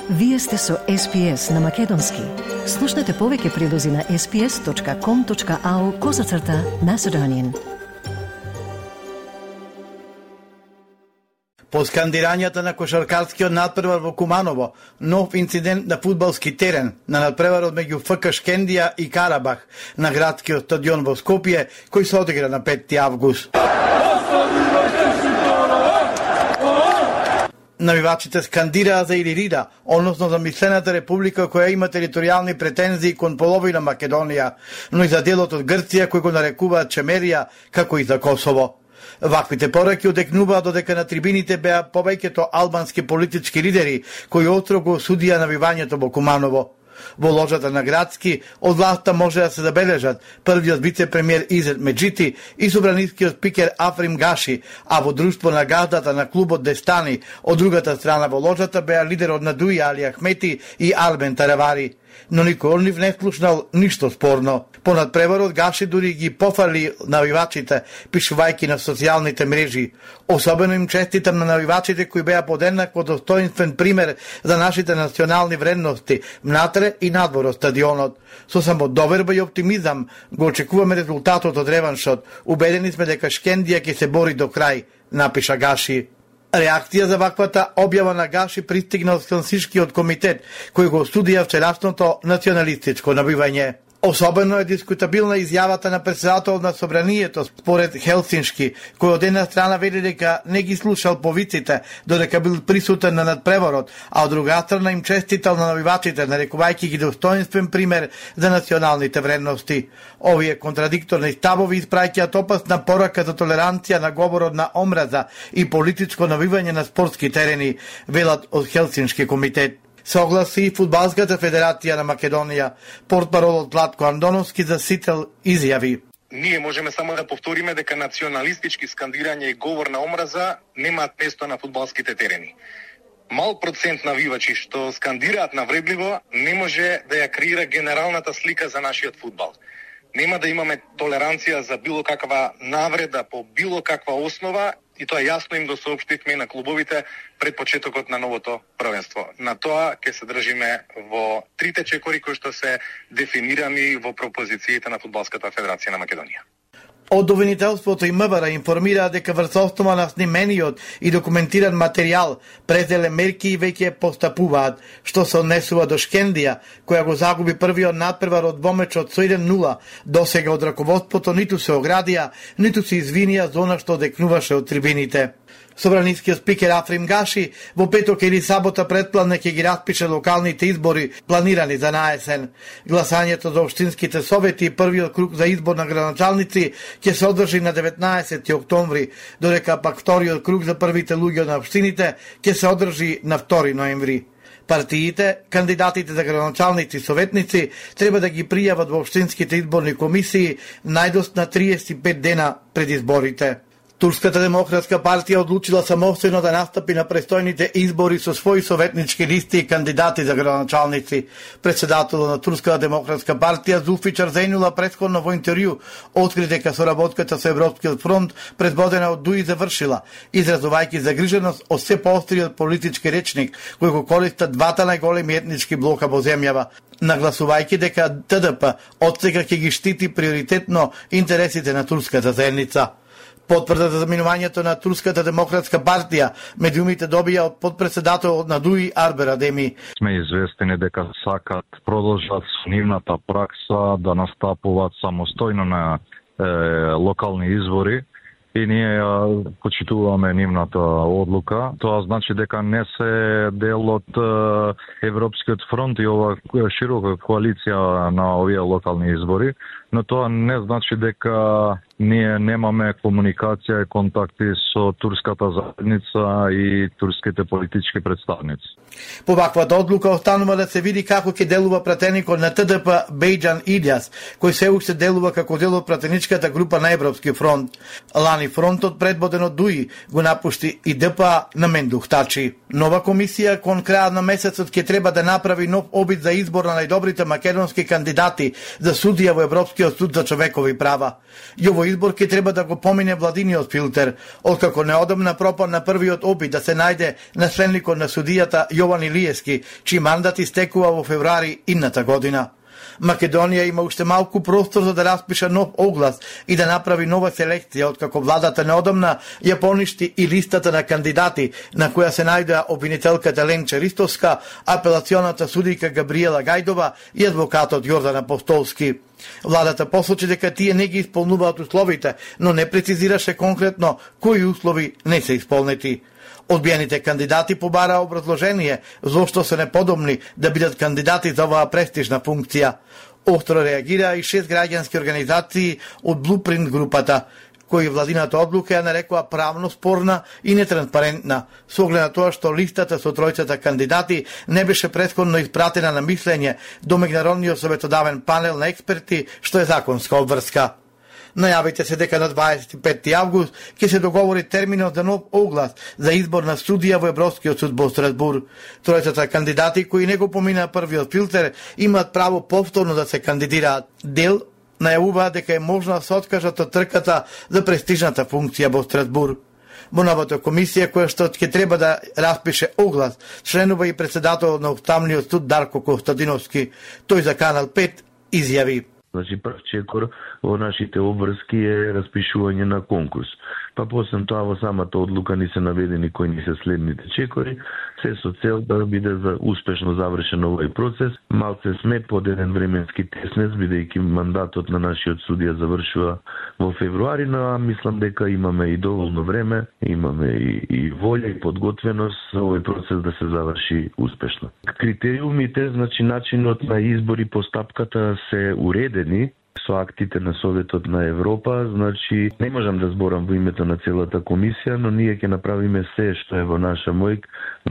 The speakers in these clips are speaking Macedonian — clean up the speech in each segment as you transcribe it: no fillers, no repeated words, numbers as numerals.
Вие сте со SPS на Македонски. Слушнете повеќе прилози на sps.com.au/Macedonian. По скандирањата на кошаркарскиот надпревар во Куманово, нов инцидент на фудбалски терен на надпреварот меѓу ФК Шкендија и Карабах на градскиот стадион во Скопје, кој се одигра на 5 август. Навивачите скандираа за Илирида, односно за мислената република која има територијални претензии кон половина Македонија, но и за делот од Грција кој го нарекуваат Чемерија, како и за Косово. Ваквите пораки одекнуваа додека на трибините беа повеќето албански политички лидери кои остро го осудија навивањето во Куманово. Во ложата на Градски од власта може да се забележат првиот вице-премиер Изет Меджити и собранискиот спикер Африм Гаши, а во друштво на газдата на клубот Дестани од другата страна во ложата беа лидерот на Дуи Али Ахмети и Арбен Таравари. Но никој од нив не слушнал ништо спорно. Понад преварот Гаши дури ги пофали навивачите, пишувајќи на социјалните мрежи. Особено им честитам на навивачите кои беа под еднакво достоинствен пример за нашите национални вредности внатре и надвор од стадионот. Со само доверба и оптимизам го очекуваме резултатот од реваншот. Убедени сме дека Шкендија ќе се бори до крај, напиша Гаши. Реакција за ваквата објава на Гаши пристигна од Хелсиншкиот комитет, кој го осудија вчерашното националистичко набивање. Особено е дискутабилна изјавата на председателот на собранието според Хелсиншки, кој од една страна вели дека не ги слушал повиците додека бил присутен на надпреварот, а од друга страна им честитал на навивачите, нарекувајќи ги достоинствен пример за националните вредности. Овие контрадикторни ставови испраќаат опасна порака за толеранција на говорот на омраза и политичко навивање на спортски терени, велат од Хелсиншки комитет. Согласи и Фудбалската федерација на Македонија. Портпаролот Златко Андоновски за Сител изјави: Ние можеме само да повториме дека националистички скандирање и говор на омраза немаат место на фудбалските терени. Мал процент навивачи што скандираат навредливо не може да ја креира генералната слика за нашиот фудбал. Нема да имаме толеранција за било каква навреда по било каква основа, и тоа јасно им го соопштивме на клубовите пред почетокот на новото првенство. На тоа ќе се држиме во трите чекори кои што се дефинирани во пропозициите на Фудбалската федерација на Македонија. Од обвинителството и МВР информираа дека врз основа на снимениот и документиран материјал презеле мерки и веќе постапуваат, што се однесува до Шкендија, која го загуби првиот надпревар од двомечот со 1-0. Досега од раководството ниту се оградија, ниту се извинија за она што одекнуваше од трибините. Собранискиот спикер Африм Гаши во петок или сабота предпланне ќе ги распише локалните избори планирани за наесен. Гласањето за општинските совети и првиот круг за избор на градоначалници ќе се одржи на 19 октомври, додека пак вториот круг за првите луѓе на општините ќе се одржи на 2 ноември. Партиите, кандидатите за градоначалници и советници треба да ги пријават во општинските изборни комисии најдос на 35 дена пред изборите. Турската демократска партија одлучила самостојно да настапи на престојните избори со своји советнички листи и кандидати за градоначалници. Председателот на Турската демократска партија Зулфичар Зејнула претходно во интервју откри дека соработката со Европскиот фронт предводена од Дуи завршила, изразувајќи загриженост од се поостриот политички речник кој го користат двата најголеми етнички блока во земјава, нагласувајќи дека ТДП отсега ќе ги штити приоритетно интересите на турската заедница. Потврда за заминувањето на Турската демократска партија меѓу умите добија од подпредседателот на Дуи Арбер Адеми. Сме известени дека сакат продолжат со нивната пракса да настапуваат самостојно на локални избори и ние почитуваме нивната одлука. Тоа значи дека не се дел од Европскиот фронт и ова широка коалиција на овие локални избори, но тоа не значи дека ние немаме комуникација и контакти со турската заедница и турските политички представници. По ваквата одлука останува да се види како ќе делува пратеникот на ТДП Бејџан Илјас, кој се уште делува како дел од пратеничката група на Европски фронт. Лани фронтот предводен од Дуи го напушти и ДПА на Мендух Тачи. Нова комисија кон крајот на месецот ќе треба да направи нов обид за избор на најдобрите македонски кандидати за судија во Европскиот суд за човекови права. И овој Овој избор ќе треба да го помине владиниот филтер, откако неодамна пропадна првиот обид да се најде наследникот на судијата Јован Илиевски, чиј мандат истекува во февруари идната година. Македонија има уште малку простор за да распише нов оглас и да направи нова селекција, откако владата неодамна ја поништи и листата на кандидати, на која се најдоа обвинителката Ленче Ристовска, апелационата судика Габриела Гајдова и адвокатот Јордан Апостолски. Владата посочи дека тие не ги исполнуваат условите, но не прецизираше конкретно кои услови не се исполнети. Одбиените кандидати побараа образложение зошто се неподобни да бидат кандидати за оваа престижна функција. Остро реагираа и 6 граѓански организации од Blueprint групата, кои владината одлука ја нарекува правно спорна и нетранспарентна, со оглед на тоа што листата со тројцата кандидати не беше претходно испратена на мислење до меѓународниот советодавен панел на експерти, што е законска обврска. Најавите се дека на 25 август ќе се договори терминот за нов оглас за избор на судија во Европскиот суд во Страсбур. Тројцата кандидати кои не го поминаа првиот филтер имаат право повторно да се кандидираат. Дел најавуваат дека е можно да се откажат од трката за престижната функција во Страсбур. Во новата комисија која што ќе треба да распише оглас, членува и председател на Уставниот суд Дарко Костадиновски. Тој за Канал 5 изјави: Значи, прв чекор во нашите обврски е распишување на конкурс. Па после тоа во самата одлука ни се наведени кои ни се следните чекори, се со цел да биде за успешно завршен овој процес. Малце сме под еден временски теснец, бидејќи мандатот на нашиот судија завршува во февруари, но мислам дека имаме и доволно време, имаме и волја и подготвеност за овој процес да се заврши успешно. Критериумите, значи начинот на избор и постапката се уредени со актите на Советот на Европа, значи не можам да зборам во името на целата комисија, но ние ќе направиме се што е во наша мој,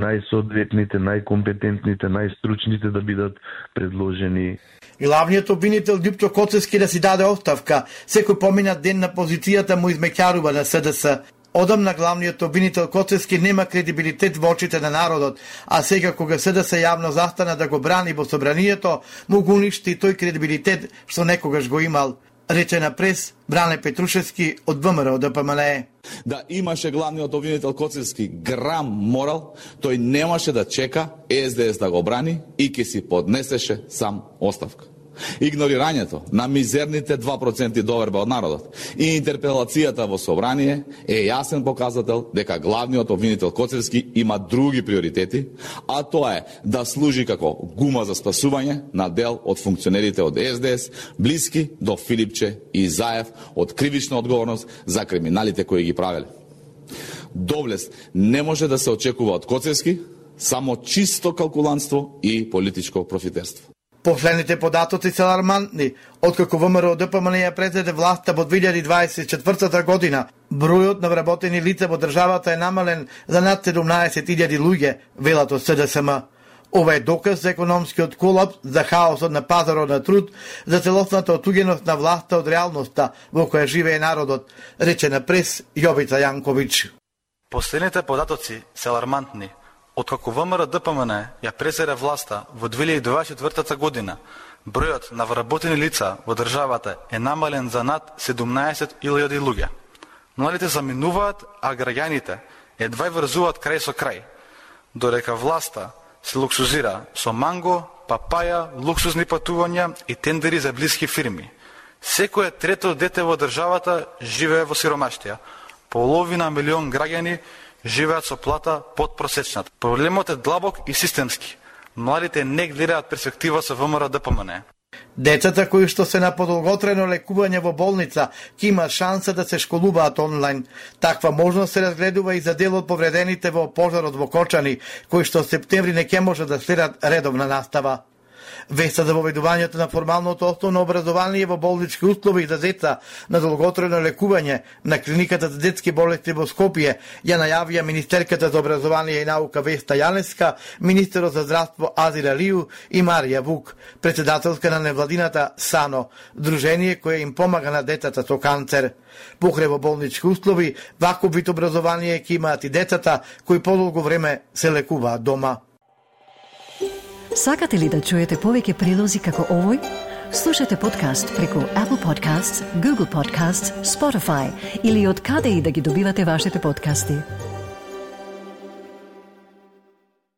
најсоодветните, најкомпетентните, најстручните да бидат предложени. Главниот обвинител Љупчо Коцевски да си даде оставка, секој поминат ден на позицијата му измеќарува на СДС. Одамна главниот обвинител Коцевски нема кредибилитет во очите на народот, а сега кога СДС јавно застана да го брани во собранието, му го уништи тој кредибилитет што некогаш го имал, рече на прес Бране Петрушевски од ВМРО ДПМНЕ. Да имаше главниот обвинител Коцевски грам морал, тој немаше да чека СДС да го брани и ќе си поднесеше сам оставка. Игнорирањето на мизерните 2% доверба од народот и интерпелацијата во собрание е јасен показател дека главниот обвинител Коцевски има други приоритети, а тоа е да служи како гума за спасување на дел од функционерите од СДС, блиски до Филипче и Заев од кривична одговорност за криминалите кои ги правеле. Доблест не може да се очекува од Коцевски, само чисто калкулантство и политичко профитерство. Последните податоци се алармантни. Откако ВМРО ДПМНЕ ја презеде власта во 2024 година, бројот на вработени лица во државата е намален за над 17.000 луѓе, велат од СДСМ. Ова е доказ за економскиот колапс, за хаосот на пазарот на труд, за целосната отуѓеност на власта од реалноста во која живее народот, рече на прес Јовица Јанковиќ. Последните податоци се алармантни. Откако ВМРО ДПМНЕ ја презеде власта во 2024 година, бројот на вработени лица во државата е намален за над 17.000 луѓе. Младите заминуваат, а граѓаните едва врзуваат крај со крај, додека власта се луксузира со манго, папаја, луксузни патувања и тендери за блиски фирми. Секое трето дете во државата живее во сиромаштија. Половина милион граѓани живеат со плата под просечната. Проблемот е длабок и системски. Младите не гледаат перспектива со ВМРО ДПМНЕ. Децата кои што се на подолготрено лекување во болница ќе имаат шанса да се школуваат онлайн. Таква можност се разгледува и за дел од повредените во пожарот во Кочани, кои што септември не ќе може да следат редовна настава. Веста за воведувањето на формалното основно образование во болнички услови за деца на долготрено лекување на клиниката за детски болести во Скопје ја најавија министерката за образование и наука Веста Јаневска, министерот за здравство Азир Алију и Марија Вук, председателка на невладината САНО, дружение кое им помага на децата со канцер. Покрај во болнички услови, ваков вид образование ќе имаат и децата кои подолго време се лекуваат дома. Сакате ли да чуете повеќе прилози како овој? Слушате подкаст преку Apple Podcasts, Google Podcasts, Spotify или од каде и да ги добивате вашите подкасти.